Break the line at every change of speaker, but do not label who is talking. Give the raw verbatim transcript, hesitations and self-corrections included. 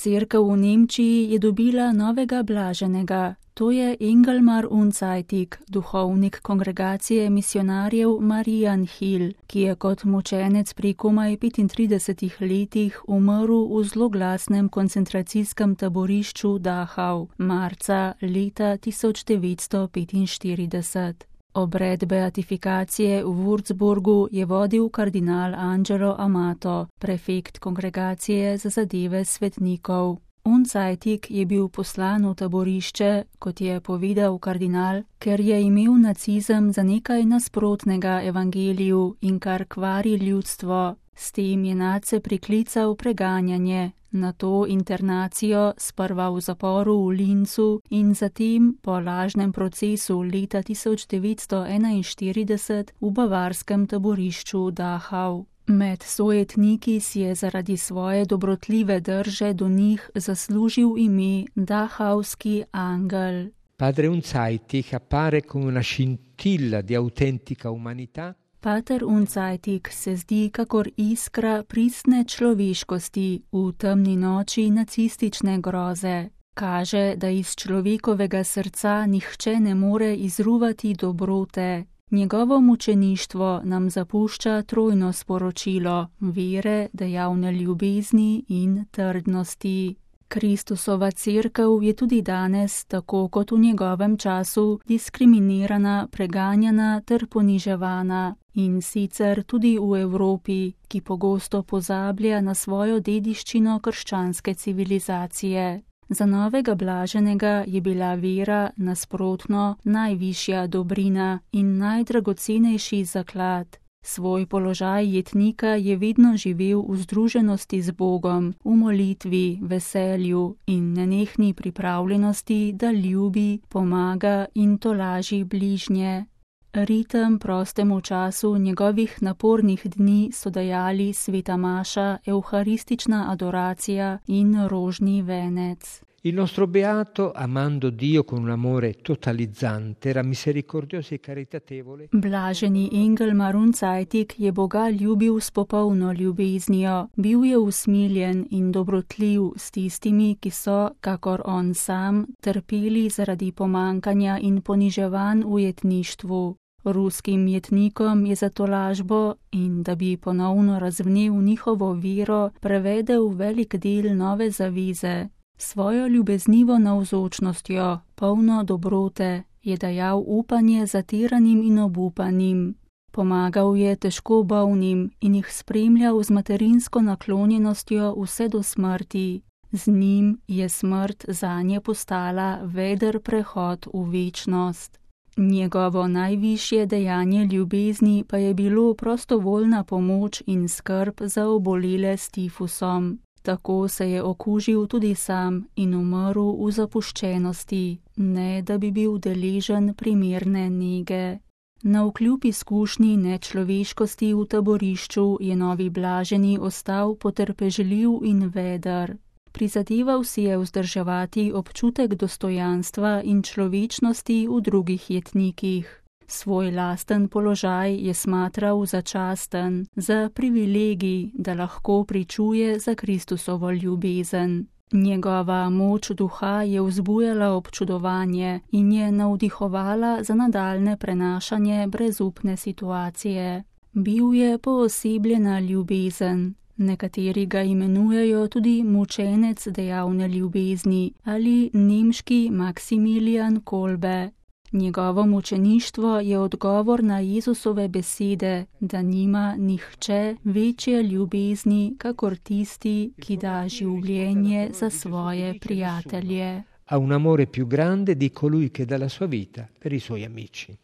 Cerkev v Nemčiji je dobila novega blaženega. To je Engelmar Unzajtik, duhovnik kongregacije misionarjev Marianhill, ki je kot mučenec pri komaj petintridesetih letih umrl v zloglasnem koncentracijskem taborišču Dachau marca leta tisoč devetsto petinštirideset. Obred beatifikacije v Würzburgu je vodil kardinal Angelo Amato, prefekt kongregacije za zadeve svetnikov. Unzajtik je bil poslan v taborišče, kot je povedal kardinal, ker je imel nacizem za nekaj nasprotnega evangeliju in kar kvari ljudstvo. S tem je nadse priklical preganjanje, nato internacijo, sprva v zaporu v Linzu in zatem po lažnem procesu leta tisoč devetsto enainštirideset v bavarskem taborišču Dachau. Med sojetniki si je zaradi svoje dobrotljive drže do njih zaslužil ime Dachauski angel.
Padre Unzajtik appare come una scintilla di autentica umanità.
Pater Unzajtik se zdi kakor iskra pristne človeškosti v temni noči nacistične groze. Kaže, da iz človekovega srca nihče ne more izruvati dobrote. Njegovo mučeništvo nam zapušča trojno sporočilo vere, dejavne ljubezni in trdnosti. Kristusova cerkev je tudi danes, tako kot v njegovem času, diskriminirana, preganjana ter poniževana. In sicer tudi v Evropi, ki pogosto pozablja na svojo dediščino krščanske civilizacije. Za novega blaženega je bila vera nasprotno najvišja dobrina in najdragocenejši zaklad. Svoj položaj jetnika je vedno živel v združenosti z Bogom, v molitvi, veselju in nenehni pripravljenosti, da ljubi, pomaga in tolaži bližnje. Ritem prostemu času njegovih napornih dni so dajali sveta maša, evharistična adoracija in rožni venec.
Il nostro beato, amando Dio con un amore totalizzante, era misericordioso e caritatevole.
Blaženi Engelmar Unzajtik je Boga ljubil s popolno ljubeznijo, bil je usmiljen in dobrotljiv s tistimi, ki so, kakor on sam, trpeli zaradi pomankanja in poniževanj v jetništvu. Ruskim jetnikom je za tolažbo in da bi ponovno razvnel njihovo vero, prevedel velik del nove zaveze. Svojo ljubeznivo navzočnostjo, polno dobrote, je dajal upanje zatiranim in obupanim. Pomagal je težko bolnim in jih spremljal z materinsko naklonjenostjo vse do smrti. Z njim je smrt zanje postala veder prehod v večnost. Njegovo najvišje dejanje ljubezni pa je bilo prostovoljna pomoč in skrb za obolele s tifusom. Tako se je okužil tudi sam in umrl v zapuščenosti, ne da bi bil deležen primerne nege. Navkljub izkušnji nečloveškosti v taborišču je novi blaženi ostal potrpežljiv in veder. Prizadeval si je vzdrževati občutek dostojanstva in človečnosti v drugih jetnikih. Svoj lasten položaj je smatral za časten, za privilegij, da lahko pričuje za Kristusovo ljubezen. Njegova moč duha je vzbujala občudovanje in je navdihovala za nadaljne prenašanje brezupne situacije. Bil je poosebljena ljubezen. Nekateri ga imenujejo tudi mučenec dejavne ljubezni ali nemški Maksimilijan Kolbe. Njegovo mučeništvo je odgovor na Jezusove besede, da nima nihče večje ljubezni, kakor tisti, ki da življenje za svoje prijatelje.
Ha un amore più grande di colui che dà la sua vita per i suoi amici.